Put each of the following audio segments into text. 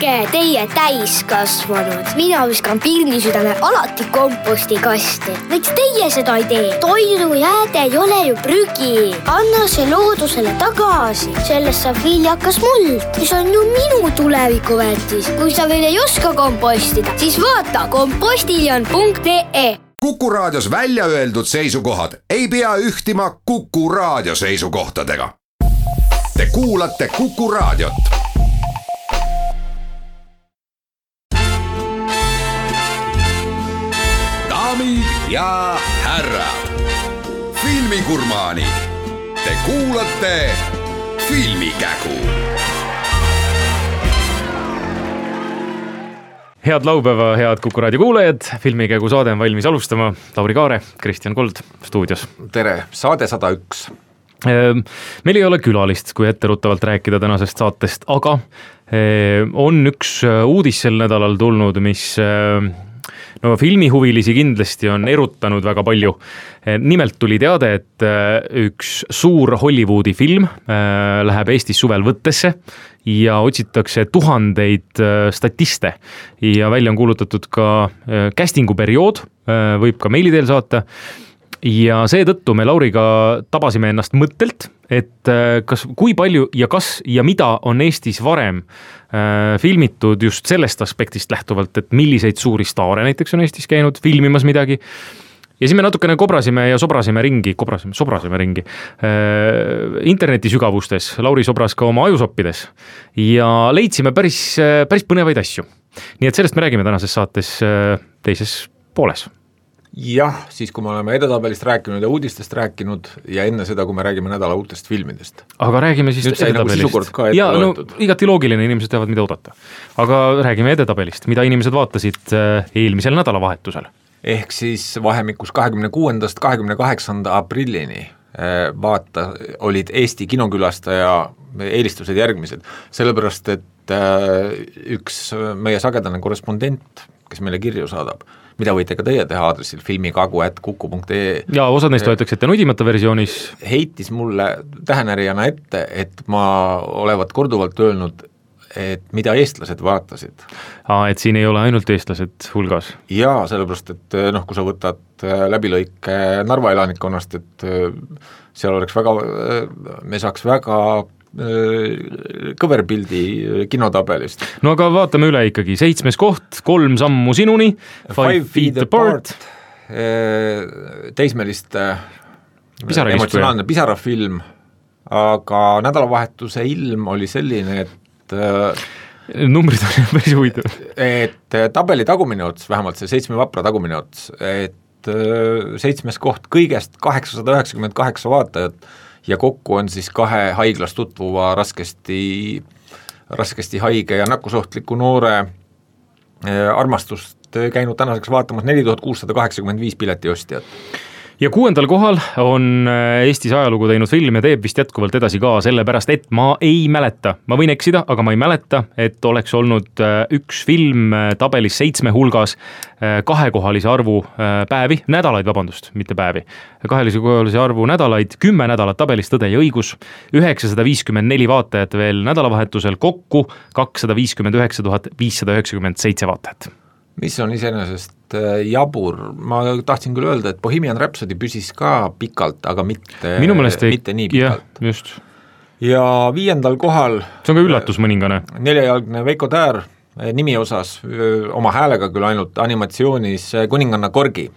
tehke teie täiskasvanud. Mina viskan pirnisüdame alati kompostikasti. Miks teie seda ei tee? Toidujääde ei ole ju prügi. Anna see loodusele tagasi. Sellest saab viljakas muld, mis on ju minu tulevikuväärtis. Kui sa veel ei oska kompostida, siis vaata kompostiljon.ee. Kuku Raadios välja öeldud seisukohad ei pea ühtima Kuku Raadio seisukohtadega. Te kuulate Kuku Raadiot. Daamid ja härrad, filmigurmaanid, te kuulate Filmikägu. Head laupäeva, head Kuku Raadio kuulajad, Filmikägu saade on valmis alustama. Lauri Kaare, Kristjan Kold stuudios. Tere, saade 101. Meil ei ole külalist, kui etteruttavalt rääkida tänasest saatest, aga on üks uudis sel nädalal tulnud, mis filmihuvilisi kindlasti on erutanud väga palju. Nimelt tuli teade, et üks suur Hollywoodi film läheb Eestis suvel võttesse ja otsitakse tuhandeid statiste ja välja on kuulutatud ka castingu periood, võib ka meili teel saata. Ja seetõttu me Lauriga tabasime ennast mõttelt, et kui palju ja kas ja mida on Eestis varem filmitud just sellest aspektist lähtuvalt, et milliseid suuri staare näiteks on Eestis käinud filmimas midagi. Ja siis me natukene kobrasime ja sobrasime ringi interneti sügavustes, Lauri sobras ka oma ajusoppides ja leidsime päris põnevaid asju. Nii et sellest me räägime tänases saates teises pooles. Jah, siis kui me oleme edetabelist rääkinud ja uudistest rääkinud ja enne seda, kui me räägime nädala uutest filmidest. Aga räägime siis edetabelist. Ja igati loogiline, inimesed teavad, mida oodata. Aga räägime edetabelist, mida inimesed vaatasid eelmisel nädalavahetusel. Ehk siis vahemikus 26. 28. aprillini olid Eesti kinokülastaja eelistused järgmised. Sellepärast, et üks meie sagedane korrespondent, kes meile kirju saadab, mida võite ka teie teha aadressil filmikagu@kuku.ee. Ja osad neist võetakse ette nudimata versioonis. Heitis mulle tähenärijana ette, et ma olevat korduvalt öelnud, et mida eestlased vaatasid. Et siin ei ole ainult eestlased hulgas. Jaa, sellepärast, et kui sa võtad läbilõike Narva elanikkonnast, et seal oleks me saaks väga kõverpildi kinotabelist. No aga vaatame üle ikkagi. 7. koht, 3 sammu sinuni, 5 feet apart. Teismeliste emotsionaalne pisarafilm, aga nädalavahetuse ilm oli selline, et numbrid on päris huvitav. Et tabeli tagumine ots, vähemalt see 7 vapra tagumine ots, et 7. koht kõigest 898 vaatajat ja kokku on siis 2 haiglas tutvuva raskesti haige ja nakkusohtliku noore armastust käinud tänaseks vaatamas 4685 piletiostjat. Ja 6. kohal on Eestis ajalugu teinud film ja teeb vist jätkuvalt edasi ka, sellepärast, et ma ei mäleta, ma võin eksida, aga ma ei mäleta, et oleks olnud üks film tabelis 7 hulgas 2-kohalise arvu päevi, nädalaid, vabandust, mitte päevi, 2-kohalise arvu nädalaid, 10 nädalat tabelis Tõde ja õigus, 954 vaatajat veel nädalavahetusel, kokku 259 597 vaatajat. Mis on iseenesest jabur, ma tahtsin küll öelda, et Bohemian Rhapsody püsis ka pikalt, aga mitte nii pikalt. Just. Ja 5. kohal see on ka üllatus mõningane. 4-jalgne Veiko Täär nimi osas, oma häälega küll ainult animatsioonis Kuninganna Korgi.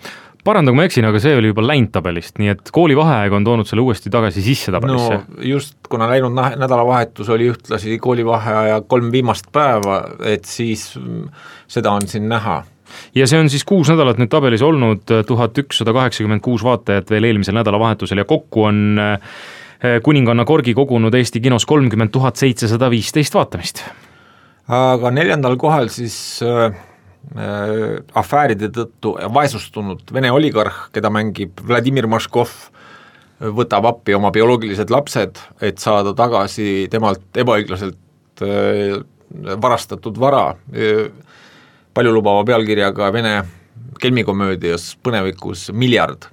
Parandagu ma eksin, aga see oli juba läinud tabelist, nii et koolivaheaeg on toonud selle uuesti tagasi sisse tabelisse. No just, kuna läinud nädalavahetus oli ühtlasi koolivaheaja 3 viimast päeva, et siis seda on siin näha. Ja see on siis 6 nädalat nüüd tabelis olnud, 1186 vaatajat veel eelmisel nädalavahetusel ja kokku on Kuninganna Korgi kogunud Eesti kinos 30 715 vaatamist. Aga 4. kohal siis afääride tõttu vaesustunud Vene oligarh, keda mängib Vladimir Maškov, võtab appi oma bioloogilised lapsed, et saada tagasi temalt ebaõiglaselt varastatud vara paljulubava pealkirjaga Vene kelmikomöödias põnevikus Miljard.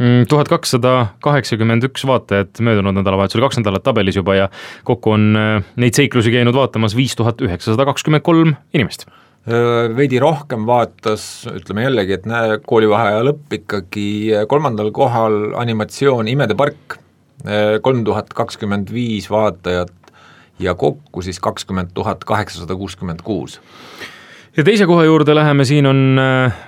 1281 vaatajat möödunud nädalavahetusel, 2 nädalat tabelis juba ja kokku on neid seiklusi käinud vaatamas 5923 inimest. Veidi rohkem vaatas, ütleme jällegi, et koolivaheaja lõpp ikkagi 3. kohal animatsioon Imede park, 3025 vaatajat ja kokku siis 20 866. Ja teise koha juurde läheme, siin on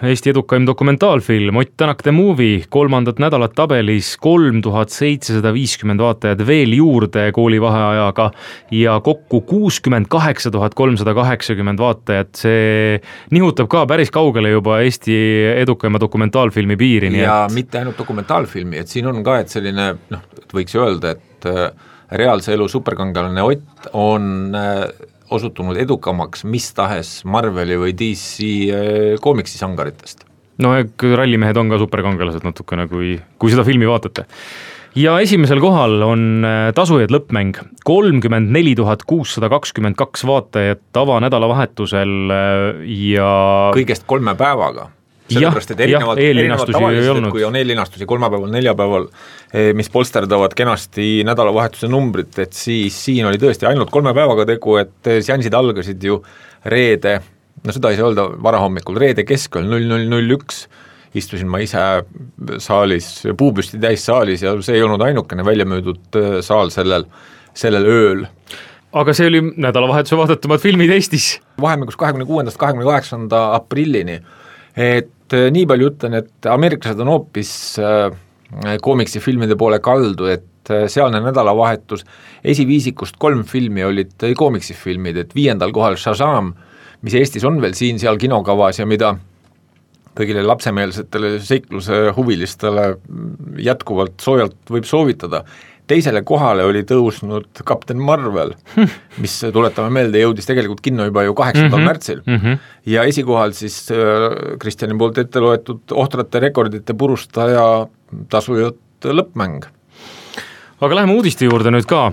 Eesti edukaim dokumentaalfilm Ott Tänak The Movie, 3. nädalat tabelis 3750 vaatajad veel juurde koolivaheajaga ja kokku 68 380 vaatajat, see nihutab ka päris kaugele juba Eesti edukaima dokumentaalfilmi piiri. Ja mitte ainult dokumentaalfilmi, et siin on ka, et selline, võiks öelda, et reaalse elu superkangelane Ott on osutunud edukamaks mis tahes Marveli või DC koomiksi sangaritest. No rallimehed on ka superkangelased natukene, kui seda filmi vaatate. Ja esimesel kohal on Tasujad lõppmäng, 34 622 vaatajat avanädalavahetusel ja kõigest 3 päevaga. Sellepärast, et erinevalt tavaliselt, kui on eellinastusi kolmapäeval, neljapäeval, mis polsterdavad kenasti nädalavahetuse numbrit, et siis siin oli tõesti ainult 3 päevaga tegu, et seansid algasid ju reede, seda ei saa öelda varahommikul, reede keskööl 0001, istusin ma ise saalis, puupüsti täis saalis ja see ei olnud ainukene väljamöödud saal sellel ööl. Aga see oli nädalavahetuse vaadatumad filmid Eestis. Vahemikus 26. 28. aprillini, et nii palju ütlen, et ameeriklased on hoopis koomiksi filmide poole kaldu, et sealne nädalavahetus esiviisikust 3 filmi olid koomiksi filmid, et 5. kohal Shazam, mis Eestis on veel siin-seal kinokavas ja mida kõigile lapsemeelsetele seikluse huvilistele jätkuvalt soojalt võib soovitada. Teisele kohale oli tõusnud Captain Marvel, mis tuletame meelde, jõudis tegelikult kinno juba ju 8. märtsil. Ja esikohal siis Kristjani poolt ette loetud ohtrate rekordite purustaja Tasujad lõppmäng. Aga läheme uudiste juurde nüüd ka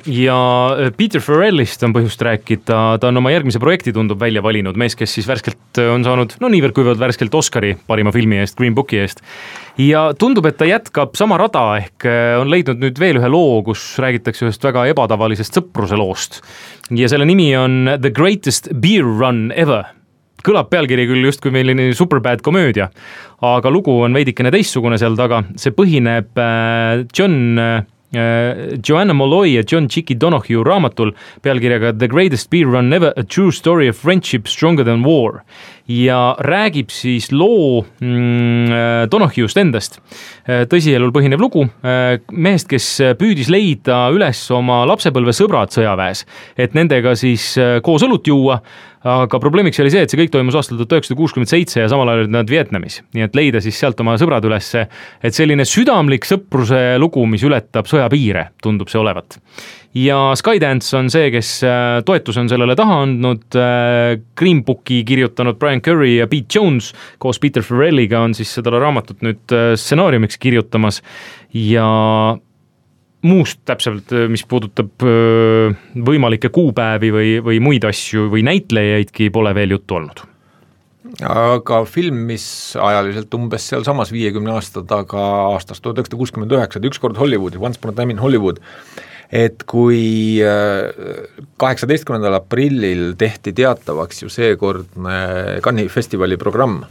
ja Peter Farrellist on põhjust rääkida, ta on oma järgmise projekti tundub välja valinud, mees, kes siis värskelt on saanud, niivõrd kuivõrd värskelt Oscari parima filmi eest, Green Booki eest. Ja tundub, et ta jätkab sama rada, ehk on leidnud nüüd veel ühe loo, kus räägitakse ühest väga ebatavalisest sõpruse loost. Ja selle nimi on The Greatest Beer Run Ever. Kõlab pealkiri küll just kui meilini Superbad komöödia, aga lugu on veidikene teistsugune seal taga, see põhineb Joanna Molloy ja John Chicky Donoghue raamatul pealkirjaga The Greatest Beer Run Ever, a true story of friendship stronger than war ja räägib siis loo Donoghue'st endast. Tõsielul põhinev lugu mehest, kes püüdis leida üles oma lapsepõlve sõbrad sõjaväes, et nendega siis koos õlut juua, aga probleemiks oli see, et see kõik toimus aastal 1967 ja samal ajal olid nad Vietnamis, nii et leida siis sealt oma sõbrad ülesse, et selline südamlik sõpruse lugu, mis ületab sõjapiire, tundub see olevat. Ja Skydance on see, kes toetuse on sellele taha andnud, Green Booki kirjutanud Brian Curry ja Pete Jones koos Peter Farrelliga on siis seda raamatut nüüd stsenaariumiks kirjutamas ja muust täpselt, mis puudutab võimalikke kuupäevi või muid asju või näitlejaidki pole veel juttu olnud. Aga film, mis ajaliselt umbes seal samas 50 aasta taga aastast 1969, ükskord Hollywoodi, Once Upon a Time in Hollywood, et kui 18. aprillil tehti teatavaks ju seekordne Cannes'i festivali programm,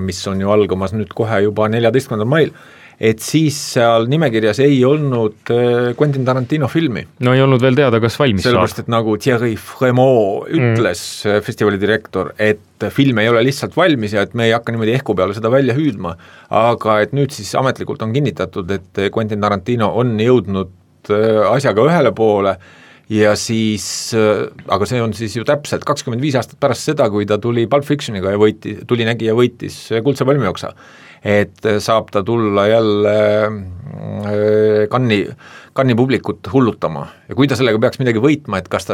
mis on ju algamas nüüd kohe juba 14. mail, et siis seal nimekirjas ei olnud Quentin Tarantino filmi. No ei olnud veel teada, kas valmis saab. Sellepärast, et nagu Thierry Frémaux ütles festivali direktor, et film ei ole lihtsalt valmis ja et me ei hakka niimoodi ehku peale seda välja hüüdma, aga et nüüd siis ametlikult on kinnitatud, et Quentin Tarantino on jõudnud asjaga ühele poole ja siis, aga see on siis ju täpselt 25 aastat pärast seda, kui ta tuli Pulp Fictioniga ja tuli nägi ja võitis Kuldse palmioksa, et saab ta tulla jälle Cannes'i publikut hullutama ja kui ta sellega peaks midagi võitma, et kas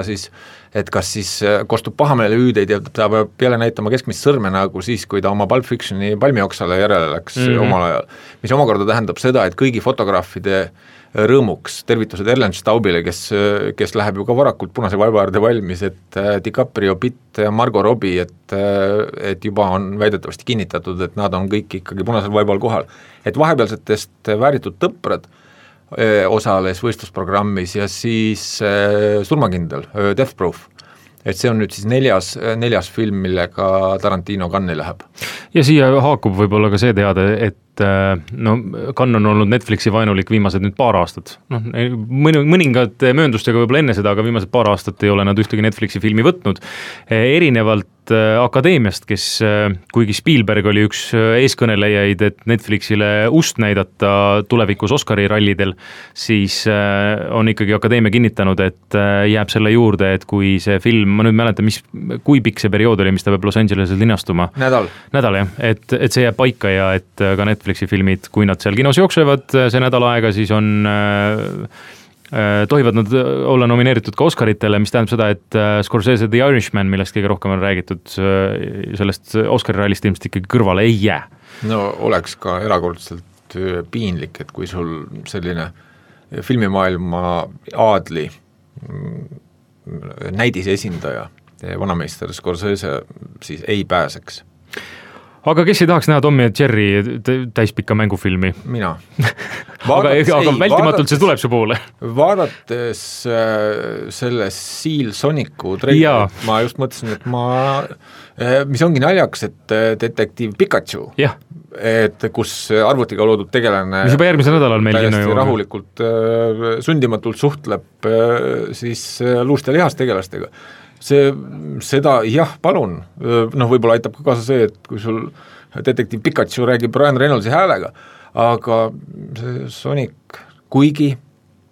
siis kostub pahameelehüüdeid ja ta peab jälle näitama keskmist sõrme nagu siis, kui ta oma Pulp Fictioni palmioksale järele läks omal ajal, mis omakorda tähendab seda, et kõigi fotograafide rõõmuks, tervitused Ellen Staubile, kes läheb ju ka varakult punase vaiba äärde valmis, et DiCaprio, Pitt ja Margot Robbie, et juba on väidetavasti kinnitatud, et nad on kõik ikkagi punasel vaibal kohal. Et vahepealsetest vääritud tõprad osales võistlusprogrammis ja siis surmakindel, Death Proof. Et see on nüüd siis neljas film, millega Tarantino Cannes'i läheb. Ja siia haakub võib-olla ka see teade, et no Cannes on olnud Netflixi vaenulik viimased nüüd paar aastat. No, mõningad mööndustega võib-olla enne seda, aga viimased paar aastat ei ole nad ühtegi Netflixi filmi võtnud. Erinevalt Akadeemiast, kes kuigi Spielberg oli üks eeskõnelejaid, et Netflixile ust näidata tulevikus Oscari rallidel, siis on ikkagi Akadeemia kinnitanud, et jääb selle juurde, et kui see film, ma nüüd mäletan, kui pikk see periood oli, mis ta peab Los Angeleses linastuma? Nädal, jah, et see jääb paika ja et ka Netflixi filmid, kui nad seal kinos jooksevad see nädal aega, siis on tohivad nad olla nomineeritud ka Oscaritele, mis tähendab seda, et Scorsese The Irishman, millest kõige rohkem on räägitud, sellest Oscari rallist ilmselt ikkagi kõrvale ei jää. No oleks ka erakordselt piinlik, et kui sul selline filmimaailma aadli näidise esindaja, vanameister Scorsese, siis ei pääseks. Aga kes ei tahaks näha Tommy ja Jerry täispikka mängufilmi? Mina. aga vältimatult see tuleb su poole. Vaadates selle Seal Sonicu treilerit, ma just mõtlesin, et mis ongi naljaks, et detektiiv Pikachu, et kus arvutiga loodud tegelane mis juba järgmisel nädalal meil täiesti rahulikult, sundimatult suhtleb siis luust ja lihast tegelastega. Seda jah, palun, võib-olla aitab ka kaasa see, et kui sul detektiiv Pikachu räägib Ryan Reynoldsi häälega, aga see Sonic, kuigi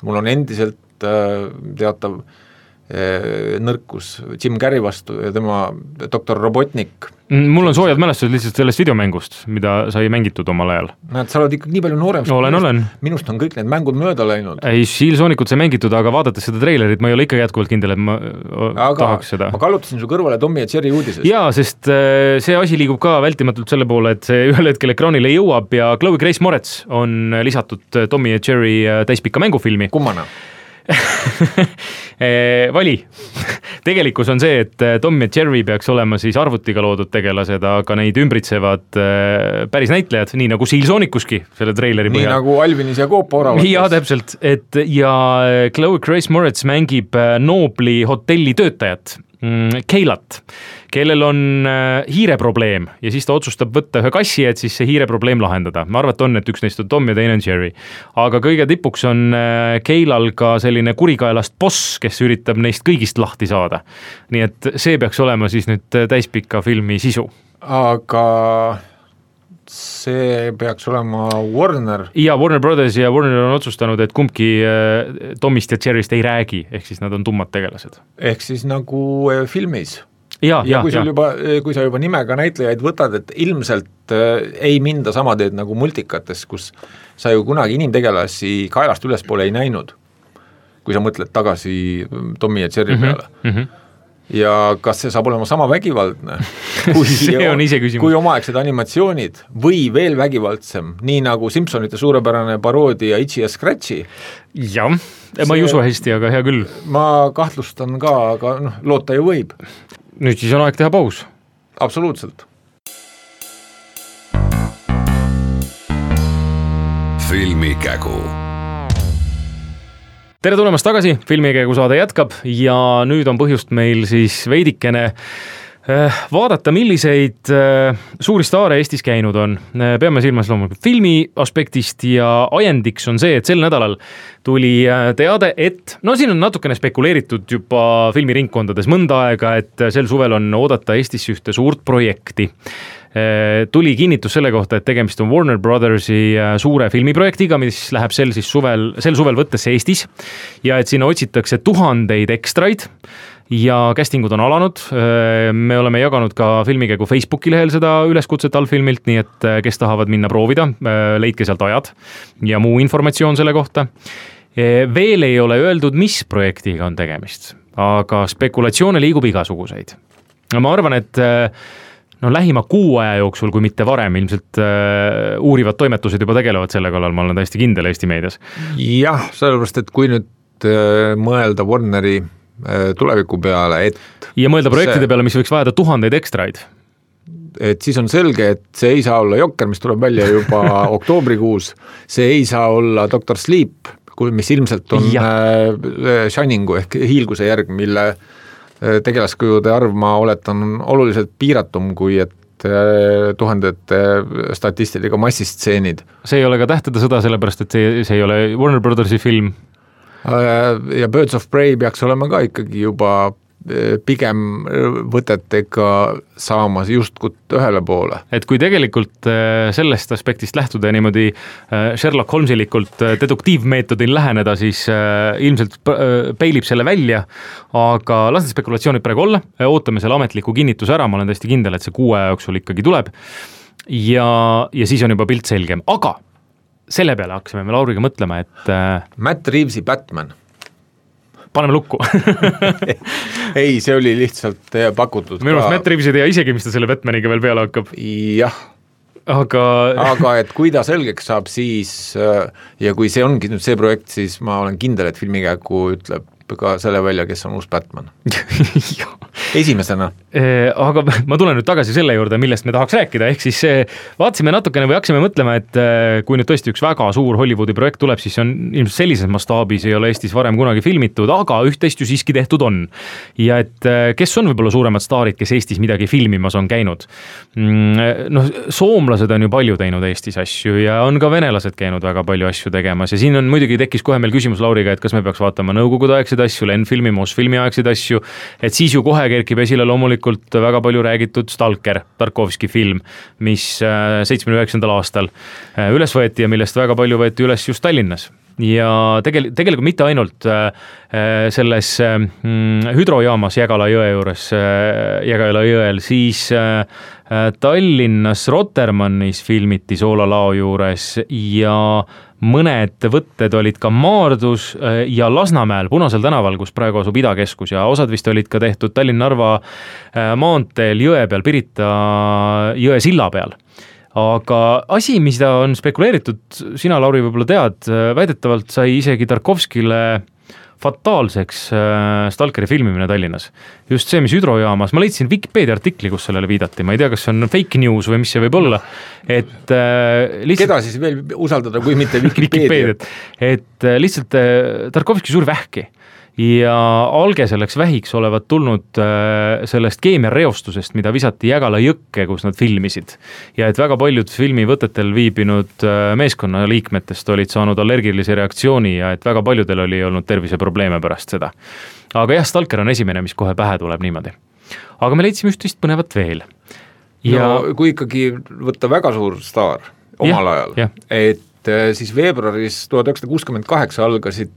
mul on endiselt teatav nõrkus Jim Carrey vastu ja tema Dr. Robotnik. Mul on soojad mälestused lihtsalt sellest videomängust, mida sai mängitud omal ajal. Näed, sa oled ikka nii palju noorem. Olen. Minust on kõik need mängud mööda läinud. Ei, Seal Sonicut sai mängitud, aga vaadates seda treilerit, ma ei ole ikka jätkuvalt kindel, et ma tahaks seda. Ma kallutasin su kõrvale Tommy ja Jerry uudisest. Jaa, sest see asi liigub ka vältimatult selle poole, et see ühel hetkel ekraanile jõuab ja Chloe Grace Moretz on lisatud Tommy ja Jerry täispikka mängufilmi. Kummana? Vali. Tegelikkus on see, et Tom ja Jerry peaks olema siis arvutiga loodud tegelased, aga neid ümbritsevad päris näitlejad, nii nagu Seal Sonicuski selle treileri põhjal. Nii nagu Alvinis ja Koopa oravates. Ja täpselt, ja Chloe Grace Moretz mängib Nobli hotelli töötajat, Keilat, kellel on hiireprobleem ja siis ta otsustab võtta ühe kassi, et siis see hiireprobleem lahendada. Ma arvat on, et üks neist on Tom ja teine on Jerry. Aga kõige tipuks on Keilal ka selline kurikaelast boss, kes üritab neist kõigist lahti saada. Nii et see peaks olema siis nüüd täispikka filmi sisu. Aga see peaks olema Warner. Ja Warner Brothers ja Warner on otsustanud, et kumbki Tomist ja Jerryst ei räägi, ehk siis nad on tummad tegelased. Ehk siis nagu filmis. Ja kui sa juba nimega näitlejaid võtad, et ilmselt ei minda sama teed nagu multikates, kus sa ju kunagi inimtegelasi kaelast ülespoole ei näinud, kui sa mõtled tagasi Tommy ja Jerry peale. Ja kas see saab olema sama vägivaldne kui omaaegsed animatsioonid või veel vägivaldsem, nii nagu Simpsonite suurepärane paroodia Itchy ja Scratchy? Jah, ma ei usu hästi, aga hea küll. Ma kahtlustan ka, aga loota ju võib. Nüüd siis on aeg teha paus. Absoluutselt. Filmikägu. Tere tulemast tagasi, Filmikägu saade jätkab ja nüüd on põhjust meil siis veidikene vaadata, milliseid suuri staare Eestis käinud on. Peame silmas loomulikult filmi aspektist ja ajendiks on see, et sel nädalal tuli teade, et siin on natukene spekuleeritud juba filmiringkondades mõnda aega, et sel suvel on oodata Eestis ühte suurt projekti. Tuli kinnitus selle kohta, et tegemist on Warner Brothersi suure filmiprojektiga, mis läheb sel suvel võttesse Eestis ja et sinna otsitakse 1000 ekstraid ja castingud on alanud. Me oleme jaganud ka Filmikägu Facebooki lehel seda üleskutset allfilmilt, nii et kes tahavad minna proovida, leidke sealt ajad ja muu informatsioon selle kohta. Veel ei ole öeldud, mis projektiga on tegemist, aga spekulatsioone liigub igasuguseid. Ma arvan, et no lähima kuu aja jooksul, kui mitte varem, ilmselt uurivad toimetused juba tegelevad selle kallal, ma olen täiesti kindel Eesti meedias. Jah, sellepärast, et kui nüüd mõelda Warneri tuleviku peale, et ja mõelda projektide peale, mis võiks vajada tuhandeid ekstraid. Et siis on selge, et see ei saa olla Jokker, mis tuleb välja juba oktoobrikuus, see ei saa olla Dr. Sleep, mis ilmselt on Shiningu ehk hiilguse järg, mille tegelaskujude arv, ma oletan, oluliselt piiratum, kui et tuhandete statistiliga massistseenid. See ei ole ka Tähtede sõda, sellepärast, et see ei ole Warner Brothersi film. Ja Birds of Prey peaks olema ka ikkagi juba pigem võtetega saamas justkui ühele poole. Et kui tegelikult sellest aspektist lähtuda niimoodi Sherlock Holmesilikult deduktiivmeetodil läheneda, siis ilmselt peilib selle välja, aga las need spekulatsioonid praegu olla, ootame selle ametliku kinnituse ära, ma olen täiesti kindel, et see 6 aja jooksul ikkagi tuleb ja siis on juba pilt selgem, aga selle peale hakkasime me Lauriga mõtlema, et Matt Reevesi Batman paneme lukku. Ei, see oli lihtsalt pakutud. Minu arust Matt Reeves ei tea isegi, mis ta selle Batmaniga veel peale hakkab. Jah. Aga et kui ta selgeks saab, siis ja kui see ongi nüüd see projekt, siis ma olen kindel, et filmikäiku ütleb ka selle välja, kes on uus Batman. Esimesena. Aga ma tulen nüüd tagasi selle juurde, millest me tahaks rääkida, ehk siis vaatasime natukene või hakkasime mõtlema, et kui nüüd tõesti üks väga suur Hollywoodi projekt tuleb, siis on ilmselt sellises mastaabis ei ole Eestis varem kunagi filmitud, aga üht-teist ju siiski tehtud on. Ja et kes on võib-olla suuremad staarid, kes Eestis midagi filmimas on käinud? No, soomlased on ju palju teinud Eestis asju ja on ka venelased käinud väga palju asju tegemas ja siin on muidugi tekkis kohe meil küsimus Lauriga, et kas me peaks vaatama nõukogude asju, Lenfilmi, Mosfilmi aegseid asju, et siis ju kohe kerkib esile loomulikult väga palju räägitud Stalker, Tarkovski film, mis 79. aastal üles võeti ja millest väga palju võeti üles just Tallinnas. Ja tegelikult mitte ainult selles hüdrojaamas Jägala jõe juures, Jägala jõel, siis Tallinnas Rotermannis filmiti Soolalao juures ja mõned võtted olid ka Maardus ja Lasnamäel, Punasel tänaval, kus praegu asub Idakeskus ja osad vist olid ka tehtud Tallinn-Narva maanteel jõe peal, Pirita jõe silla peal. Aga asi, mida on spekuleeritud, sina, Lauri, võib-olla tead, väidetavalt sai isegi Tarkovskile fataalseks Stalkeri filmimine Tallinnas. Just see, mis hüdrojaamas, ma leidsin Wikipedia artikli, kus sellele viidati, ma ei tea, kas see on fake news või mis see võib olla, et lihtsalt... Keda siis veel usaldada, kui mitte Wikipedia? Et lihtsalt Tarkovski suuri vähki ja alge selleks vähiks olevat tulnud sellest keemiareostusest, mida visati Jägala jõkke, kus nad filmisid. Ja et väga paljud filmivõtetel viibinud meeskonnaliikmetest olid saanud allergilise reaktsiooni ja et väga paljudel oli olnud terviseprobleeme pärast seda. Aga jah, Stalker on esimene, mis kohe pähe tuleb niimoodi. Aga me leidsime üht-teist põnevat veel. Ja... No, kui ikkagi võtta väga suur staar omal ajal, et siis veebruaris 1968 algasid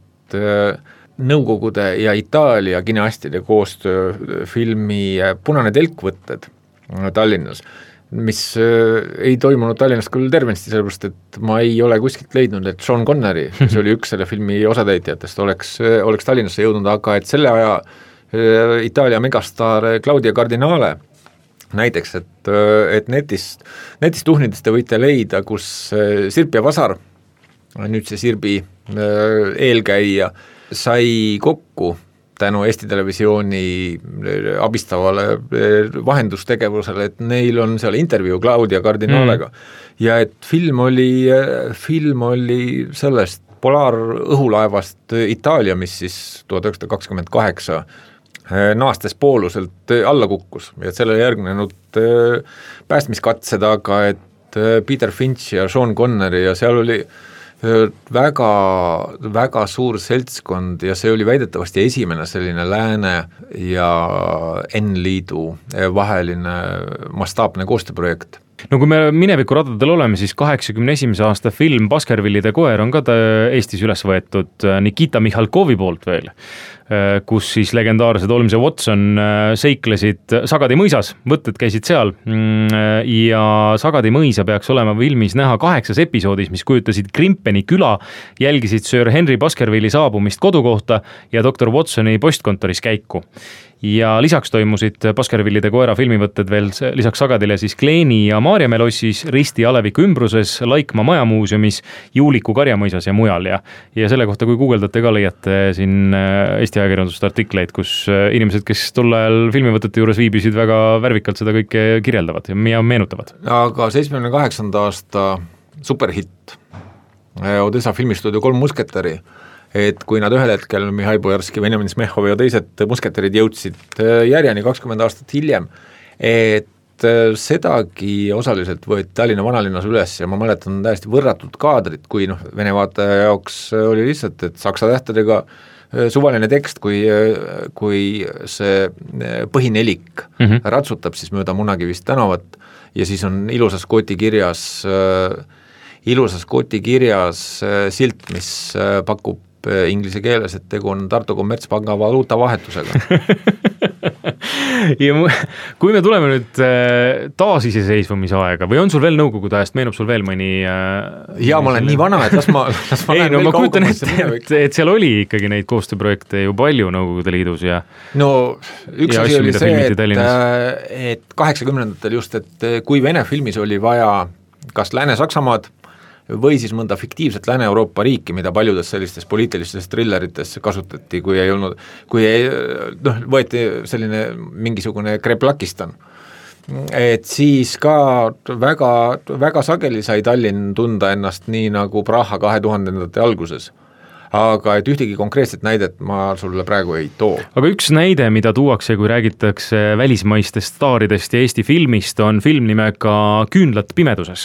Nõukogude ja Itaalia kineastide koostöö filmi Punane telkvõtted Tallinnas, mis ei toimunud Tallinnas küll tervenisti, sellepärast, et ma ei ole kuskilt leidnud, et Sean Connery, kes oli üks selle filmi osatäitjatest, oleks Tallinnasse jõudnud, aga et selle aja Itaalia megastaar Claudia Cardinale näiteks, et netist tuhnidest te võite leida, kus Sirp ja Vasar, nüüd see Sirbi eelkäija, sai kokku tänu Eesti Televisiooni abistavale vahendustegevusele, et neil on seal intervjuu Claudia Cardinalega ja et film oli sellest polaarõhulaevast Itaalia, mis siis 1928 naastes pooluselt alla kukkus ja sellele järgnenud päästmiskatsed, aga et Peter Finch ja Sean Connery ja seal oli väga, väga suur seltskond ja see oli väidetavasti esimene selline Lääne ja N-liidu vaheline mastaapne koostööprojekt. No kui me mineviku radadel oleme, siis 81. aasta film Baskervillide koer on ka Eestis üles võetud Nikita Mihhalkovi poolt veel. kus siis legendaarsed Holmes ja Watson seiklesid Sagadi mõisas, võtted käisid seal ja Sagadi mõisa peaks olema filmis näha 8 episoodis, mis kujutasid Grimpeni küla, jälgisid Sir Henry Baskervilli saabumist kodukohta ja Dr. Watsoni postkontoris käiku. Ja lisaks toimusid Baskervillide koera filmivõtted veel lisaks Sagadile siis Kleeni ja Maarjamäe lossis, Risti Aleviku ümbruses, Laikmaa majamuuseumis, Juuliku karjamõisas ja mujal ja selle kohta, kui guugeldate ka leiate siin Eesti ajakirjandust artikleid, kus inimesed, kes tol ajal filmivõtete juures viibisid, väga värvikalt seda kõike kirjeldavad ja meenutavad. Aga 78. aasta superhitt Odessa filmistuudio 3 musketäri, et kui nad ühel hetkel Mihhail Bojarski, Benjamin Smehhov ja teised musketärid jõudsid järjeni 20 aastat hiljem, et sedagi osaliselt võeti Tallinna vanalinnas üles ja ma mäletan täiesti võrratud kaadrit, kui Vene vaataja jaoks oli lihtsalt, et saksa tähtedega suvaline tekst, kui see põhinelik ratsutab siis mööda Munakivist tänavat ja siis on ilusas kotikirjas silt, mis pakub inglise keeles, et tegu on Tartu kommertspanga valuutavahetusega. Ja kui me tuleme nüüd taasiseseisvumise aega või on sul veel nõukogude ajast, meenub sul veel mõni ja ma olen nii vana, et las ma lähen veel kaugumasse et seal oli ikkagi neid koostööprojekte ju palju Nõukogude Liidus ja no üks asi oli see, et 80-ndatel just, et kui Vene filmis oli vaja kas Lääne-Saksamaad või siis mõnda fiktiivset Lääne-Euroopa riiki, mida paljudes sellistes poliitilistes thrillerites kasutati, võeti selline mingisugune Kreplakistan. Et siis ka väga, väga sageli sai Tallinn tunda ennast nii nagu Praha 2000-ndate alguses. Aga et ühtegi konkreetset näidet ma sulle praegu ei too. Aga üks näide, mida tuuakse, kui räägitakse välismaistest staaridest ja Eesti filmist, on film nimega Küünlad pimeduses,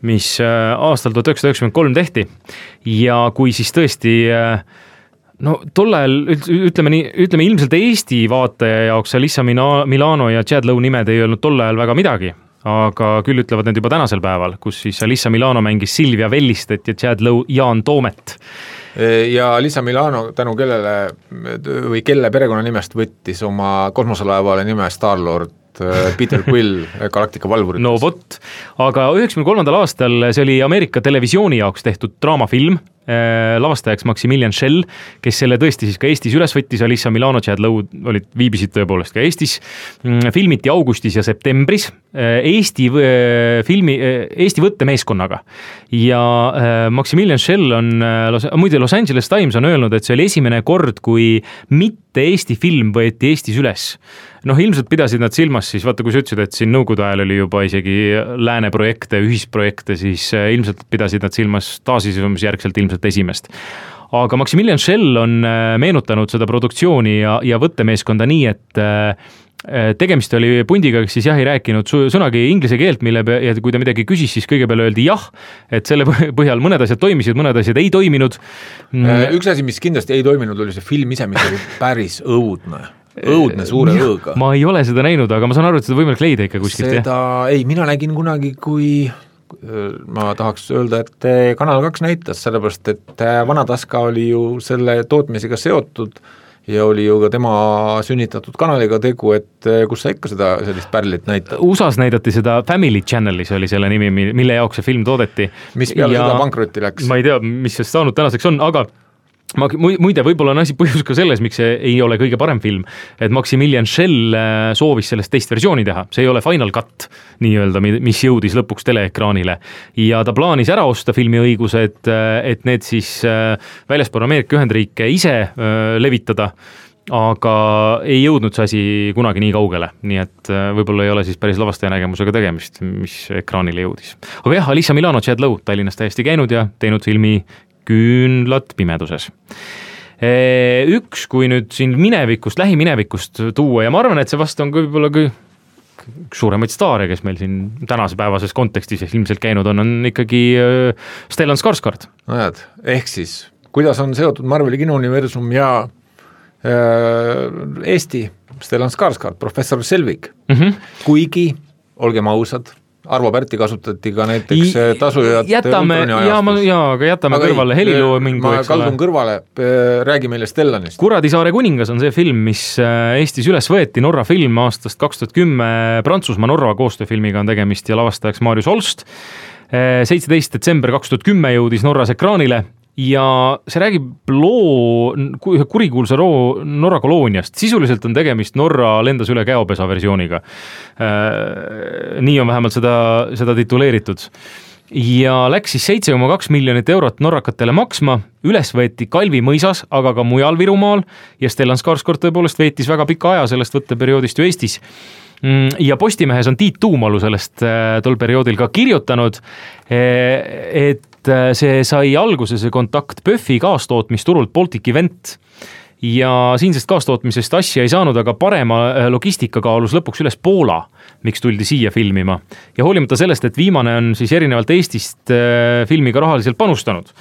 mis aastal 1993 tehti ja kui siis tõesti tol ajal, ütleme ilmselt Eesti vaataja jaoks Alyssa Milano ja Chad Lowe nimed ei öelnud tol ajal väga midagi, aga küll ütlevad need juba tänasel päeval, kus siis Alyssa Milano mängis Silvia Vellistet ja Chad Lowe Jaan Toomet. Ja Alyssa Milano tänu kelle perekonnanimest võttis oma kosmoselaevale nime Star-Lord Peter Quill Galactica valvuritest. No vot, aga 93. aastal see oli Ameerika televisiooni jaoks tehtud draamafilm, lavastajaks Maximilian Schell, kes selle tõesti siis ka Eestis üles võttis, Alyssa Milano, Chad Lowe viibisid tõepoolest ka Eestis, filmiti augustis ja septembris Eesti võttemeeskonnaga ja Maximilian Schell on, muide Los Angeles Times on öelnud, et see oli esimene kord, kui mitte Eesti film võeti Eestis üles. Ilmselt pidasid nad silmas siis, vaata kui sa ütlesid, et siin nõukogude ajal oli juba isegi lääne projekte, ühisprojekte, siis ilmselt pidasid nad silmas taasiseseisvumisjärgselt ilmselt esimest. Aga Maximilian Schell on meenutanud seda produktsiooni ja võttemeeskonda nii, et tegemist oli pundiga, kes siis ei rääkinud sõnagi inglise keelt, ja kui ta midagi küsis, siis kõigepeal öeldi jah, et selle põhjal mõned asjad toimisid, mõned asjad ei toiminud. Üks asi, mis kindlasti ei toiminud, oli see film ise, mis oli päris õudne suure õõga. Ma ei ole seda näinud, aga ma saan aru, et seda võimalik leida ikka kuskilt. Mina nägin kunagi, kui ma tahaks öelda, et Kanal 2 näitas, sellepärast, et Vanataska oli ju selle tootmisega seotud ja oli ju ka tema sünnitatud kanaliga tegu, et kus sa ikka seda sellist pärlit näitad. USAs näidati seda Family Channelis oli selle nimi, mille jaoks see film toodeti. Mis peale seda pankrotti läks? Ma ei tea, mis see saanud tänaseks on, aga muide, võib-olla on asi põhjus ka selles, miks see ei ole kõige parem film, et Maximilian Schell soovis sellest teist versiooni teha, see ei ole Final Cut nii-öelda, mis jõudis lõpuks teleekraanile ja ta plaanis ära osta filmiõigused, et need siis väljaspool Ameerika Ühendriike ise levitada, aga ei jõudnud see asi kunagi nii kaugele, nii et võib-olla ei ole siis päris lavastaja nägemusega tegemist, mis ekraanile jõudis. Aga jah, Alyssa Milano, Chad Lowe Tallinnas täiesti käinud ja teinud filmi Küünlad pimeduses. Üks, kui nüüd siin lähiminevikust tuua ja ma arvan, et see vast on võib-olla üks suuremaid staare, kes meil siin tänase päevases kontekstis ilmselt käinud on ikkagi Stellan Skarsgård. Ehk siis, kuidas on seotud Marveli kinouniversum ja Eesti Stellan Skarsgård, professor Selvig. Kuigi, olgem ausad, Arvo Pärti kasutati ka näiteks tasujad aga jätame kõrvale heliloomingu. Ma kaldun kõrvale, räägi meile Stellanist. Kuradisaare kuningas on see film, mis Eestis üles võeti, Norra film aastast 2010, Prantsusmaa Norra koostööfilmiga on tegemist ja lavastajaks Marius Holst. 17. detsember 2010 jõudis Norras ekraanile ja see räägib kurikuulsa loo Norra kolooniast. Sisuliselt on tegemist Norra lendas üle käopesa versiooniga. Nii on vähemalt seda tituleeritud. Ja läks siis 7,2 miljonit eurot norrakatele maksma, üles võeti Kalvi mõisas, aga ka mujal Virumaal ja Stellan Skarsgård tõepoolest veetis väga pika aja sellest võtteperioodist ju Eestis. Ja Postimehes on Tiit Tuumalu sellest tol perioodil ka kirjutanud, et see sai alguse see kontakt PÖFFi kaastootmisturult Baltic Event ja siinsest kaastootmisest asja ei saanud, aga parema logistika kaalus lõpuks üles Poola, miks tuldi siia filmima. Ja hoolimata sellest, et viimane on siis erinevalt Eestist filmiga rahaliselt panustanud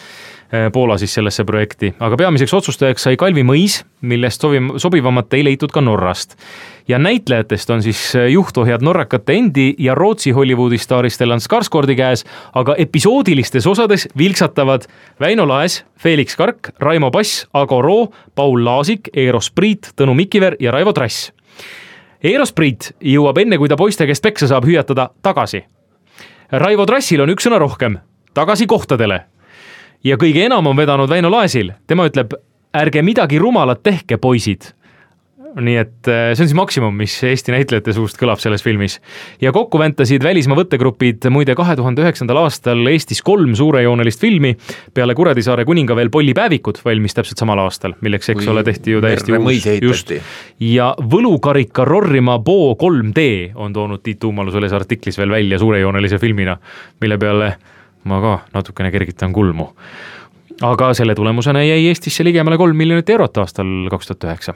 Poola siis sellesse projekti, aga peamiseks otsustajaks sai Kalvi mõis, millest sobivamat ei leitud ka Norrast. Ja näitlejatest on siis juhtohjad norrakate endi ja Rootsi Hollywoodi staari Stellan Skarsgårdi käes, aga episoodilistes osades vilksatavad Väino Laes, Felix Kark, Raimo Pass, Ago Roo, Paul Laasik, Eero Spriit, Tõnu Mikiver ja Raivo Trass. Eero Spriit jõuab enne, kui ta poiste käest peksa saab hüüatada tagasi. Raivo Trassil on üks sõna rohkem, tagasi kohtadele. Ja kõige enam on vedanud Väino Laesil. Tema ütleb, ärge midagi rumalat tehke, poisid. Nii et see on siis maksimum, mis Eesti näitlejate suust kõlab selles filmis. Ja kokku väntasid välismaa võttegrupid muide 2009. aastal Eestis 3 suurejoonelist filmi, peale Kuradisaare kuninga veel Pollipäevikud valmis täpselt samal aastal, milleks eks ole tehti ju täiesti just. Ja Võlukarika Rorrima Boo 3D on toonud Tiit Tuumalu selles artiklis veel välja suurejoonelise filmina, mille peale ma ka natukene kergitan kulmu. Aga selle tulemusena jäi Eestisse ligemale 3 miljonit eurot aastal 2009.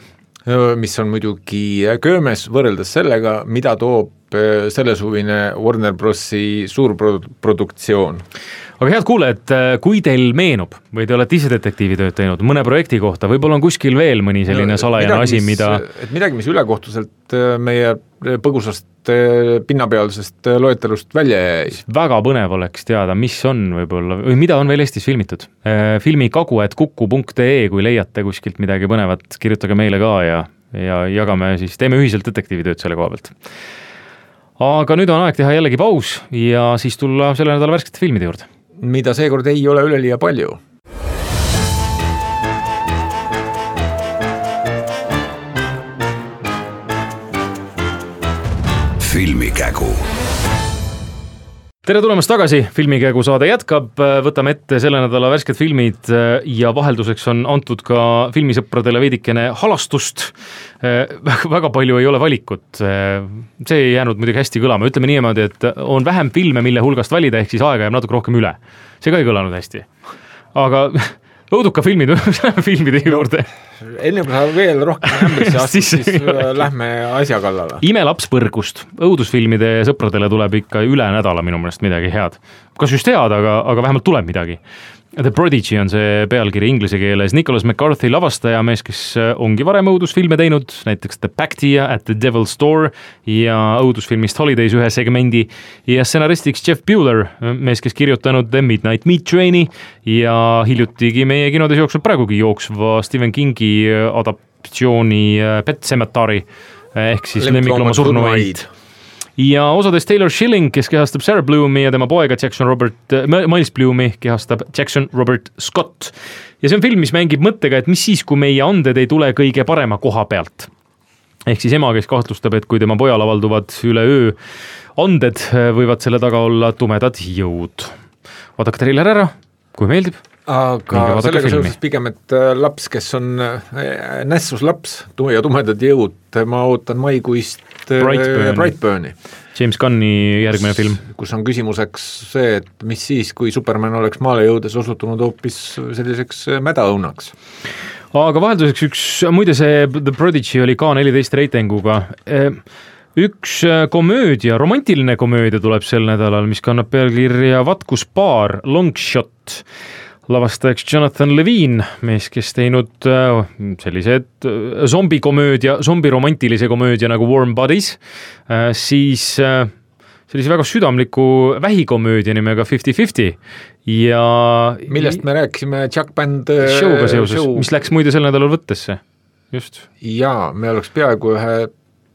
Mis on muidugi köömes võrreldes sellega, mida toob sellesuvine Warner Brosi suurproduktsioon. Aga head kuulajad, kui teil meenub või te olete ise detektiivitööd teinud mõne projekti kohta, võib-olla on kuskil veel mõni selline salajane asi, mida... Et midagi, mis ülekohtuselt meie põgusast pinnapealsest loetelust välja jäi. Väga põnev oleks teada, mis on võib-olla, või mida on veel Eestis filmitud. Filmi kagu@kuku.ee, kui leiate kuskilt midagi põnevat, kirjutage meile ka ja jagame siis, teeme ühiselt detektiivitööd selle koha pealt. Aga nüüd on aeg teha jällegi paus ja siis tulla selle nädala värskete filmide juurde. Mida seekord ei ole üleliia palju. Filmikägu. Tere tulemast tagasi, Filmikägu saade jätkab, võtame ette selle nädala värsked filmid ja vahelduseks on antud ka filmisõpradele veidikene halastust. Väga palju ei ole valikut, see ei jäänud muidugi hästi kõlama, ütleme niimoodi, et on vähem filme, mille hulgast valida, ehk siis aega jääb natuke rohkem üle. See ka ei kõlanud hästi, aga õuduka filmide juurde. Enne kui sa veel rohkem ämbesse astud, siis lähme asja kallale. Imelaps põrgust. Õudusfilmide sõpradele tuleb ikka üle nädala minu meelest midagi head. Kas just head, aga vähemalt tuleb midagi. The Prodigy on see pealkiri inglise keeles. Nicholas McCarthy lavastaja mees, kes ongi varem õudusfilme teinud, näiteks The Pactia at the Devil's Door ja õudusfilmist Holidays ühe segmendi ja stsenaristiks Jeff Bueller, mees, kes kirjutanud The Midnight Meat Traini ja hiljutigi meie kinodes jooksnud praegugi jooksva Stephen Kingi adaptatsiooni Pet Sematary ehk siis lemmikloma surnuaid. Ja osades Taylor Schilling, kes kehastab Sarah Bloomi ja tema poega Miles Bloomi kehastab Jackson Robert Scott. Ja see on film, mis mängib mõttega, et mis siis, kui meie anded ei tule kõige parema koha pealt. Ehk siis ema, kes kahtlustab, et kui tema pojal avalduvad üle öö anded, võivad selle taga olla tumedad jõud. Vaadake trailer ära, kui meeldib. Aga sellega seoses pigem, et laps, kes on nässus laps ja tumedad jõud, ma ootan maikuist Brightburni. James Gunni järgmine film. Kus on küsimuseks see, et mis siis, kui Superman oleks maale jõudes osutunud hoopis selliseks mädaõunaks. Aga vahelduseks muide see The Prodigy oli K14 reitinguga. Üks komöödia, romantiline komöödia tuleb sel nädalal, mis kannab pealkirja Vatkus paar, Long Shot. Lavastajaks Jonathan Levine, mees, kes teinud sellised zombiromantilise komöödia nagu Warm Bodies, siis sellise väga südamliku vähikomöödia nimega 50-50 ja millest me rääkisime Chuck Band show'ga seoses, mis läks muide sel nädalal võttesse, just. Jaa, me oleks peaaegu ühe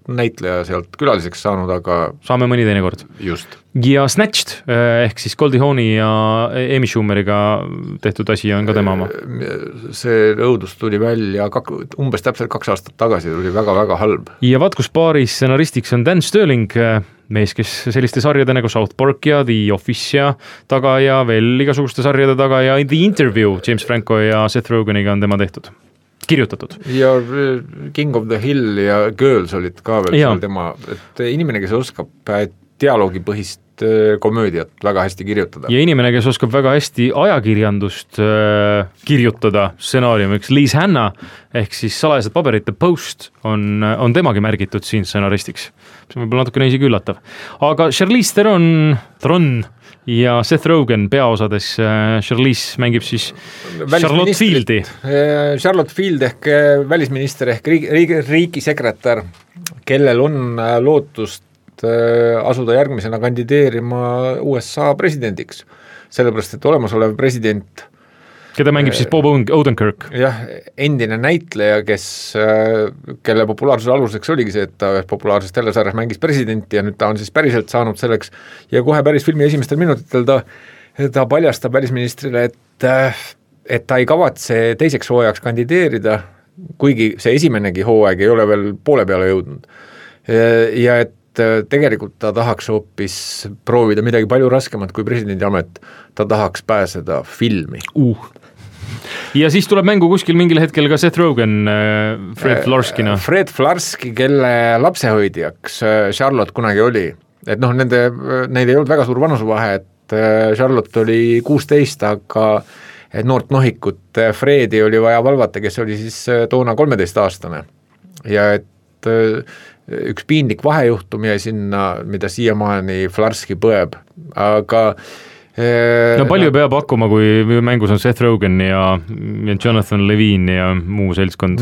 näitleja sealt külaliseks saanud, aga saame mõni teine kord. Just. Ja Snatched ehk siis Goldie Hawni ja Amy Schumeriga tehtud asi on ka tema oma. See õudus tuli välja umbes täpselt 2 aastat tagasi, tuli väga-väga halb. Ja vaat kus paaris stsenaristiks on Dan Sterling, mees, kes selliste sarjade nagu South Park ja The Office ja taga ja veel igasuguste sarjade taga ja The Interview James Franco ja Seth Roganiga on tema tehtud. Kirjutatud. Ja King of the Hill ja Girls olid ka veel seal tema, et inimene, kes oskab dialoogipõhist komöödiat väga hästi kirjutada. Ja inimene, kes oskab väga hästi ajakirjandust kirjutada stsenaariumiks, Liz Hanna ehk siis Salajased paberite Post on temagi märgitud siin stsenaristiks. See on võib-olla natukene isegi üllatav. Aga Charlize Theron ja Seth Rogen peaosades. Charlize mängib siis Charlotte Fieldi. Charlotte Field ehk välisminister ehk riigisekretär, kellel on lootust asuda järgmisena kandideerima USA presidendiks. Sellepärast, et olemasolev president, keda mängib siis Bob Odenkirk. Jah, endine näitleja, kelle populaarsuse aluseks oligi see, et ta populaarses telesarjas mängis presidenti ja nüüd ta on siis päriselt saanud selleks ja kohe päris filmi esimestel minutitel ta paljastab välisministrile, et ta ei kavatse teiseks hooajaks kandideerida, kuigi see esimenegi hooaeg ei ole veel poole peale jõudnud. Ja et tegelikult ta tahaks hoopis proovida midagi palju raskemat kui presidendi amet, ta tahaks pääseda filmi. Ja siis tuleb mängu kuskil mingil hetkel ka Seth Rogen Fred Flarskina. Fred Flarski, kelle lapsehoidjaks Charlotte kunagi oli. Et noh, neil ei olnud väga suur vanusevahe, et Charlotte oli 16, aga noort nohikut Fredi oli vaja valvata, kes oli siis toona 13-aastane. Ja et üks piinlik vahejuhtum jäi sinna, mida siiamaani Flarski põeb, aga no palju peab hakkuma, kui mängus on Seth Rogen ja Jonathan Levine ja muu seltskond.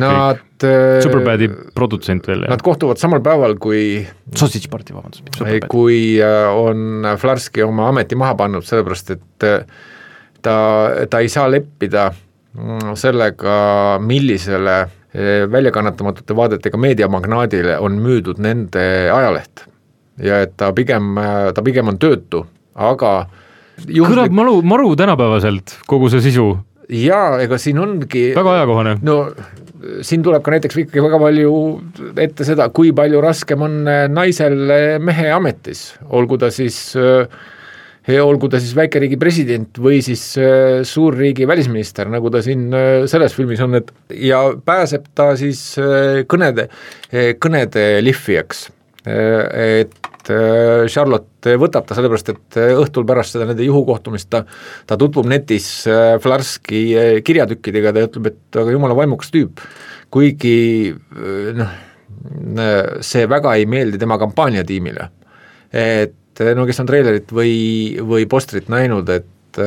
Superbadi produtsent veel. Nad kohtuvad samal päeval, kui Sausage Party, vabandust. Kui on Flarski oma ameti maha pannud, sellepärast, et ta ei saa leppida sellega, millisele väljakannatamatute vaadetega meediamagnaadile on müüdud nende ajaleht ja et ta pigem on töötu, aga kõlab maru tänapäevaselt kogu see sisu. Jaa, ega siin ongi väga ajakohane. No siin tuleb ka näiteks ikkagi väga palju ette seda, kui palju raskem on naisel mehe ametis, olgu ta siis väikeriigi president või siis suurriigi välisminister, nagu ta siin selles filmis on, ja pääseb ta siis kõnede lihvijaks, et Charlotte võtab ta sellepärast, et õhtul pärast seda nende juhukohtumist ta tutvub netis Flarski kirjatükkidega, ta ütleb, et aga jumala vaimukas tüüp, kuigi see väga ei meeldi tema kampaaniatiimile, et no kes on treilerit või postrit näinud, et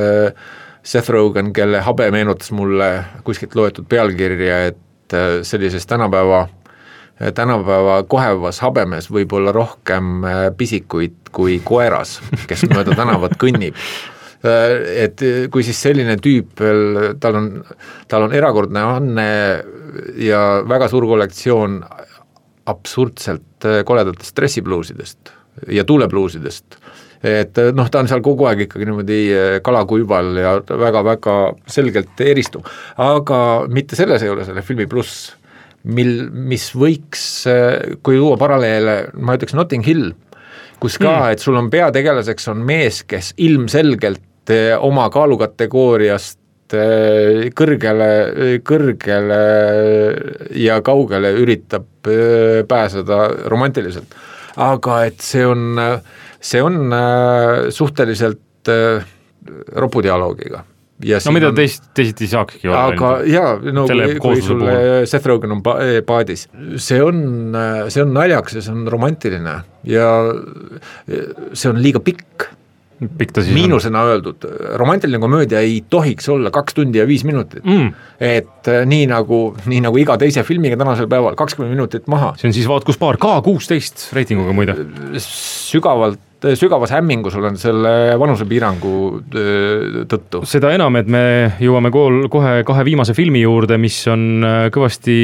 Seth Rogen, kelle habe meenutas mulle kuskilt loetud pealkirja, et sellises tänapäeva kohevas habemes võib olla rohkem pisikuid kui koeras, kes mööda tänavat kõnnib. Et kui siis selline tüüp, tal on erakordne anne ja väga suur kollektsioon absurdselt koledatest stressibluusidest ja tuulebluusidest, et noh, ta on seal kogu aeg ikkagi niimoodi kalakuival ja väga-väga selgelt eristub, aga mitte selles ei ole selle filmi pluss, mis võiks, kui luua paralleele, ma ütleks Notting Hill, kus ka, et sul on peategelaseks on mees, kes ilmselgelt oma kaalukategooriast kõrgele ja kaugele üritab pääseda romantiliselt. Aga et see on suhteliselt ropudialoogiga. No mida teisiti saakski olla. Aga jaa, no kui sulle Seth Rogen on paadis, see on naljaks ja see on romantiline ja see on liiga pikk. Miinusena öeldud, romantiline komöödia ei tohiks olla 2 tundi ja 5 minutit, et nii nagu iga teise filmiga tänasel päeval 20 minutit maha. See on siis vaat kus paar K16 reitinguga muide. Sügavalt sügavas hämmingus olen selle vanusepiirangu tõttu. Seda enam, et me jõuame kohe kahe viimase filmi juurde, mis on kõvasti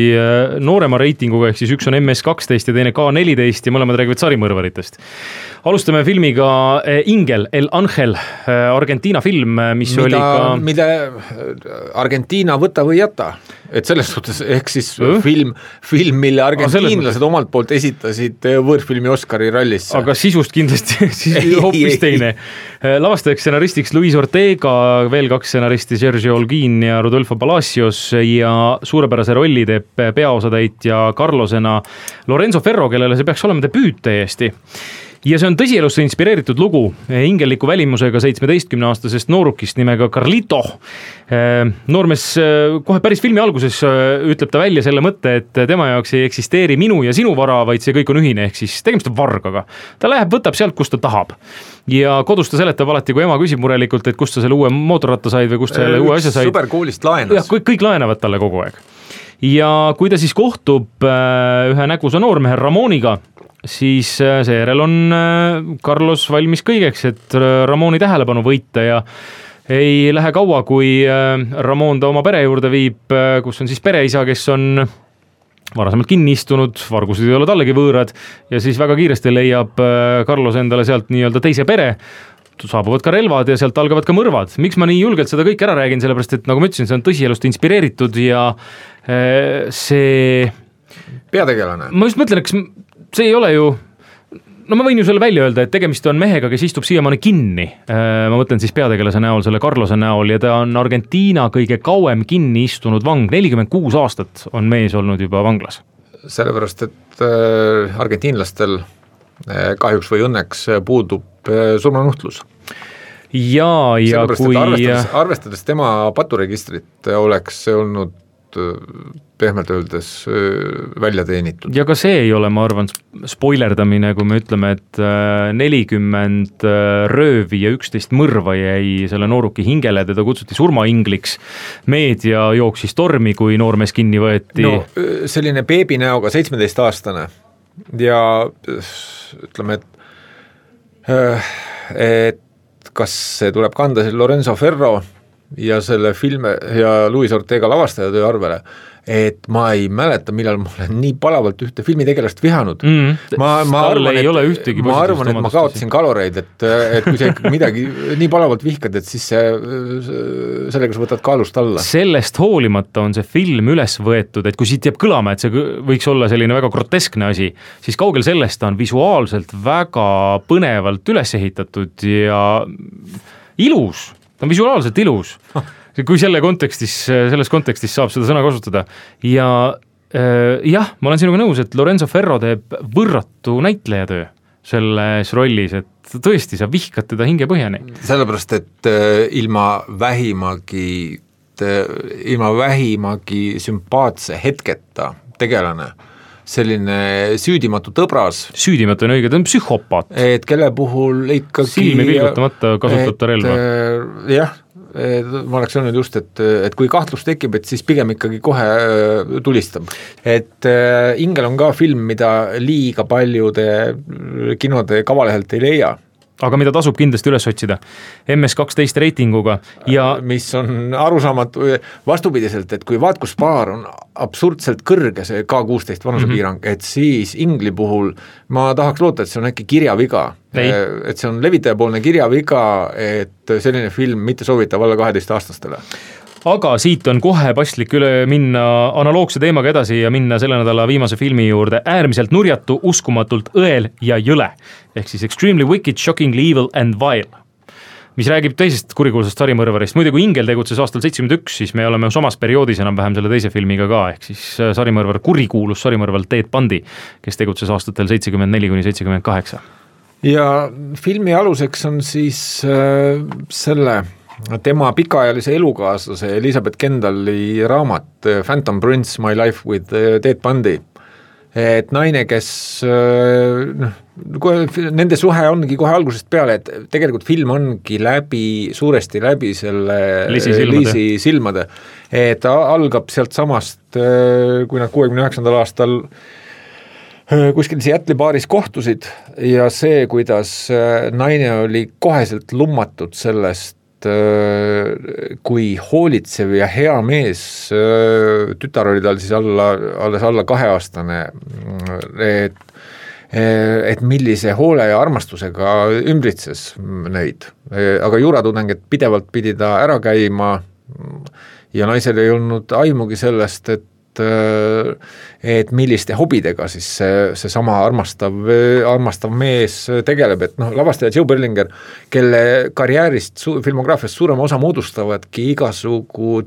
noorema reitinguga, ehk siis üks on MS-12 ja teine K-14 ja mõlemad räägivad sarimõrvaritest. Alustame filmiga Ingel, El Angel, Argentiina film, mis oli ka... Mida Argentiina võta või jäta? Et selles suhtes, ehk siis film, mille argentiinlased omalt poolt esitasid võõrfilmi Oscari rallisse. Aga sisust kindlasti hoopis teine. Lavastajaks stsenaristiks Luis Ortega, veel 2 stsenaristi Sergio Holguin ja Rodolfo Palacios ja suurepärase rolli teeb peaosatäitja Carlosena Lorenzo Ferro, kellele see peaks olema debüüt täiesti. Ja see on tõsielusse inspireeritud lugu ingelliku välimusega 17-aastasest noorukist nimega Carlito. Noormees kohe päris filmi alguses ütleb ta välja selle mõtte, et tema jaoks ei eksisteeri minu ja sinu vara, vaid see kõik on ühine, ehk siis tegemist on vargaga. Ta läheb, võtab sealt, kust ta tahab. Ja kodus ta seletab alati, kui ema küsib murelikult, et kust ta selle uue mootorratta said või kust ta selle uue asja said. Superkoolist laenas. Ja, kõik laenavad talle kogu aeg. Ja kui ta siis kohtub ühe nägusa noormehe Ramoniga, siis seejärel on Carlos valmis kõigeks, et Ramoni tähelepanu võita ja ei lähe kaua, kui Ramon ta oma pere juurde viib, kus on siis pereisa, kes on varasemalt kinni istunud, vargused ei ole tallegi võõrad ja siis väga kiiresti leiab Carlos endale sealt nii-öelda teise pere, saabuvad ka relvad ja sealt algavad ka mõrvad. Miks ma nii julgelt seda kõik ära räägin, sellepärast et nagu ma ütlesin, see on tõsielust inspireeritud ja see... Peategelane. Ma just mõtlen, eks see ei ole ju, no ma võin ju selle välja öelda, et tegemist on mehega, kes istub siiamaani kinni. Ma mõtlen siis peategelase näol, selle Carlose näol ja ta on Argentiina kõige kauem kinni istunud vang. 46 aastat on mees olnud juba vanglas. Sellepärast, et argentiinlastel kahjuks või õnneks puudub surmanuhtlus. Ja sellepärast, kui... Arvestades tema paturegistrit oleks see olnud pehmelt öeldes välja teenitud. Ja ka see ei ole, ma arvan, spoilerdamine, kui me ütleme, et 40 röövi ja 11 mõrva jäi selle nooruki hingele, teda kutsuti surmaingliks. Meedia jooksis tormi, kui noormees kinni võeti. No, selline beebinäoga 17-aastane ja ütleme, et kas see tuleb kanda selle Lorenzo Ferro ja selle filme ja Luis Ortega lavastajatöö arvele, et ma ei mäleta, millal ma olen nii palavalt ühte filmitegelast vihanud. Ma arvan, et ma kaotasin kaloreid, et kui sa midagi nii palavalt vihkad, et siis sellega sa võtad kaalust alla. Sellest hoolimata on see film üles võetud, et kui siit jääb kõlama, et see võiks olla selline väga groteskne asi, siis kaugel sellest on visuaalselt väga põnevalt üles ehitatud ja ilus. Ta on visuaalselt ilus, kui selles kontekstis saab seda sõna kasutada. Ja jah, ma olen sinuga nõus, et Lorenzo Ferro teeb võrratu näitlejatöö selles rollis, et tõesti, sa vihkad teda hinge põhjani. Sellepärast, et ilma vähimagi sümpaatse hetketa tegelane, selline süüdimatu tõbras. Süüdimatu on õige, ta on psühhopaat. Et kelle puhul ikkagi... Silmi vilgutamata kasutab ta relva. Jah, ma oleks öelnud just, et kui kahtlus tekib, et siis pigem ikkagi kohe tulistab. Et Ingel on ka film, mida liiga paljude kinode kavalehelt ei leia. Aga mida tasub kindlasti üles otsida. MS-12 reitinguga ja... Mis on arusaamatu vastupidiselt, et kui vaatkuspaar on absurdselt kõrge see K-16 vanusepiirang, et siis Ingli puhul ma tahaks loota, et see on äkki kirjaviga. Et see on levitajapoolne kirjaviga, et selline film mitte soovitav alla 12-aastastele. Aga siit on kohe paslik üle minna analoogse teemaga edasi ja minna selle nädala viimase filmi juurde äärmiselt nurjatu, uskumatult õel ja jõle. Ehk siis Extremely Wicked, Shockingly Evil and Vile, mis räägib teisest kurikuulsast sarimõrvarist. Muide, kui Ingel tegutses aastal 71, siis me oleme samas perioodis enam-vähem selle teise filmiga ka, ehk siis sarimõrvar, kurikuulus sarimõrval Ted Bundy, kes tegutses aastatel 74-78. Ja filmi aluseks on siis tema pikaajalise elukaaslase Elizabeth Kendalli raamat Phantom Prince, My Life with Ted Bundy. Et naine, kes nende suhe ongi kohe algusest peale, et tegelikult film ongi suuresti läbi selle Liisi silmade. Et algab sealt samast, kui nad 69. aastal kuskil Seattle'i baaris kohtusid ja see, kuidas naine oli koheselt lummatud sellest, kui hoolitsev ja hea mees, tütar oli tal siis alles alla 2-aastane, et millise hoole ja armastusega ümbritses neid, aga juuratudeng, et pidevalt pidi ta ära käima ja naisel ei olnud aimugi sellest, et milliste hobidega siis see sama armastav mees tegeleb, et lavastaja Joe Berlinger, kelle karjäärist, filmograafiast suurema osa moodustavadki igasugu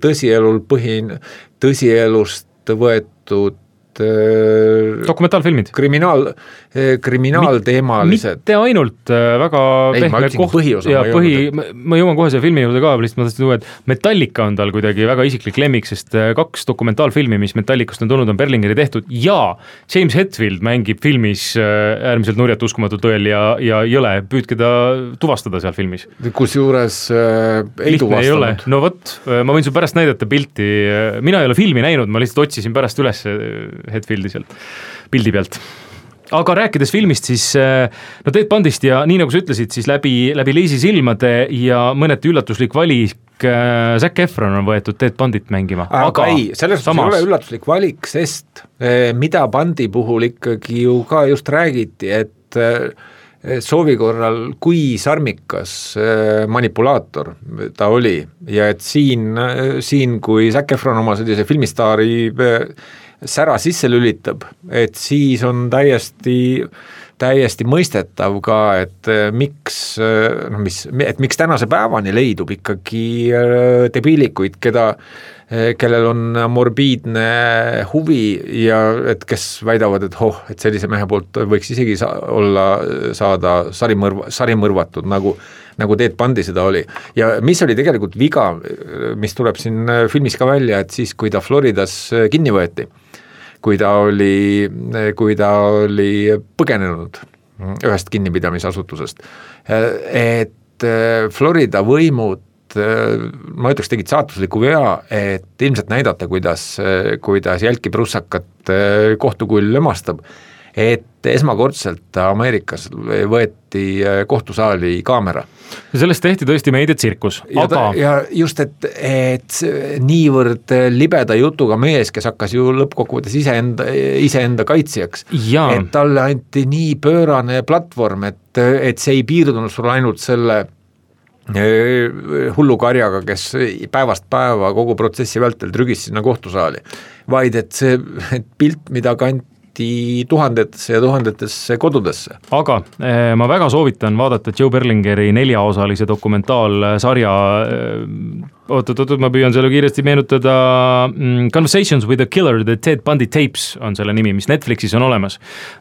tõsielust võetud dokumentaalfilmid. Kriminaalteemalised. Mitte ainult väga pehme koht ja ma jõuan kohe selle filmi juurde ka, lihtsalt ma tahtsin tuua, et Metallica on tal kuidagi väga isiklik lemmik, sest 2 dokumentaalfilmi, mis Metallicast on tulnud, on Berlingeri tehtud ja James Hetfield mängib filmis äärmiselt nurjat uskumatult õel ja jõle, püüdke ta tuvastada seal filmis. Kusjuures ei tuvastanud. No võt, ma võin sul pärast näidata pilti, mina ei ole filmi näinud, ma lihtsalt otsisin pärast üles Hetfieldi sealt pildi pealt. Aga rääkides filmist, siis Ted Bundist ja nii nagu sa ütlesid, siis läbi Leisi silmade ja mõneti üllatuslik valik Zac Efron on võetud Ted Bundit mängima. Aga ei, selles ei ole üllatuslik valik, sest mida Bundi puhul ikkagi ju ka just räägiti, et soovi korral, kui sarmikas manipulaator ta oli ja et siin kui Zac Efron oma sellise filmistaari sära sisse lülitab, et siis on täiesti mõistetav ka, et miks tänase päevani leidub ikkagi debiilikuid, kellel on morbiidne huvi ja et kes väidavad, et sellise mehe poolt võiks isegi saada sarimõrvatud, nagu Ted Bundy seda oli. Ja mis oli tegelikult viga, mis tuleb siin filmis ka välja, et siis, kui ta Floridas kinni võeti, kui ta oli põgenenud ühest kinnipidamisasutusest, et Florida võimud, ma ütleks, tegid saatusliku vea, et ilmselt näidata, kuidas jälkiprusakat kohtukull lömastab, et esmakordselt Ameerikas võeti kohtusaali kaamera. Sellest tehti tõesti meediatsirkus. Ja just, et niivõrd libeda jutuga mees, kes hakkas ju lõppkokkuvõttes iseenda kaitsjaks, et talle anti nii pöörane platvorm, et see ei piirdunud sul ainult selle hullukarjaga, kes päevast päeva kogu protsessi vältel trügis sinna kohtusaali, vaid et see pilt, mida kanti tuhandetesse ja tuhandetesse kodudesse. Aga ma väga soovitan vaadata Joe Berlingeri 4-osalise dokumentaalsarja, ma püüan selle kiiresti meenutada, Conversations with a Killer, the Ted Bundy Tapes on selle nimi, mis Netflixis on olemas.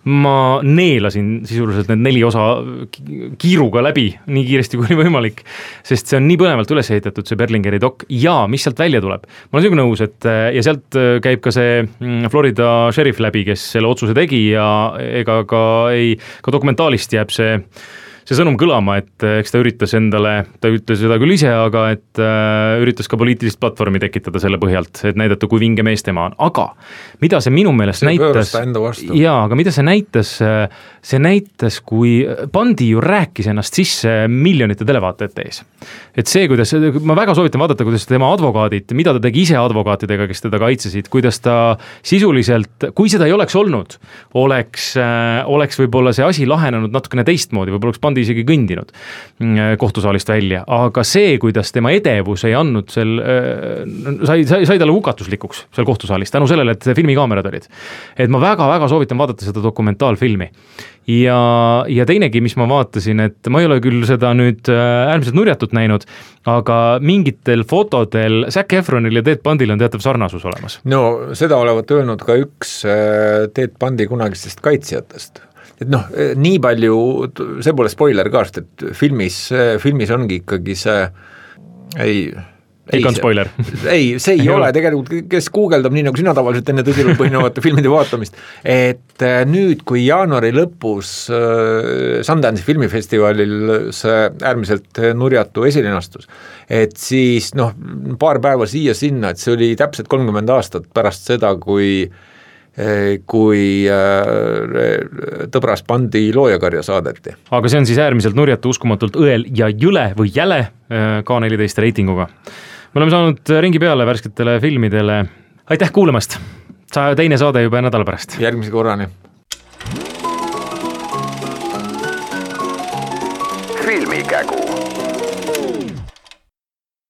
Ma neelasin sisuliselt need 4 osa kiiruga läbi, nii kiiresti kui võimalik, sest see on nii põnevalt üles ehitatud, see Berlingeri dok, ja mis sealt välja tuleb. Ma olen siuke nõus, et ja sealt käib ka see Florida sheriff läbi, kes selle otsuse tegi ja ega ka dokumentaalist jääb see sõnum kõlama, et eks ta üritas endale, ta ütles seda küll ise, aga et üritas ka poliitilist platvormi tekitada selle põhjalt, et näidata, kui vinge mees tema on. Aga mida see minu meelest näitas, aga mida see näitas, kui Bundy ju rääkis ennast sisse miljonite televaatajate ees. Et see, kuidas, ma väga soovitan vaadata, kuidas tema advokaadid, mida ta tegi ise advokaatidega, kes teda kaitsesid, kuidas ta sisuliselt, kui seda ei oleks olnud, oleks võib-olla see asi lahenenud natukene teistmoodi, võib-olla oleks Bundy isegi kõndinud kohtusaalist välja, aga see, kuidas tema edevus ei andnud sai talle hukatuslikuks seal kohtusaalis, tänu sellele, et filmikaamerad olid. Et ma väga-väga soovitan vaadata seda dokumentaalfilmi. Ja teinegi, mis ma vaatasin, et ma ei ole küll seda nüüd äärmiselt nurjatut näinud, aga mingitel fotodel Zac Efronil ja Ted Bundil on teatav sarnasus olemas. No seda olevat öelnud ka üks Ted Bundy kunagistest kaitsjatest. Et nii palju, see pole spoiler ka, et filmis ongi ikkagi see spoiler. See ei ole tegelikult, kes guugeldab nii nagu sina tavaliselt enne tõsilul põhinevate filmide vaatamist, et nüüd, kui jaanuari lõpus Sundance'i filmifestivalil see äärmiselt nurjatu esilinastus, et siis paar päeva siia-sinna, et see oli täpselt 30 aastat pärast seda, kui kui Tõbras pandi loojakarja saadeti. Aga see on siis äärmiselt nurjatu, uskumatult õel ja jõle või jäle K14 reitinguga. Me oleme saanud ringi peale värsketele filmidele. Aitäh kuulamast! Teine saade juba nädala pärast. Järgmise korrani. Filmikägu.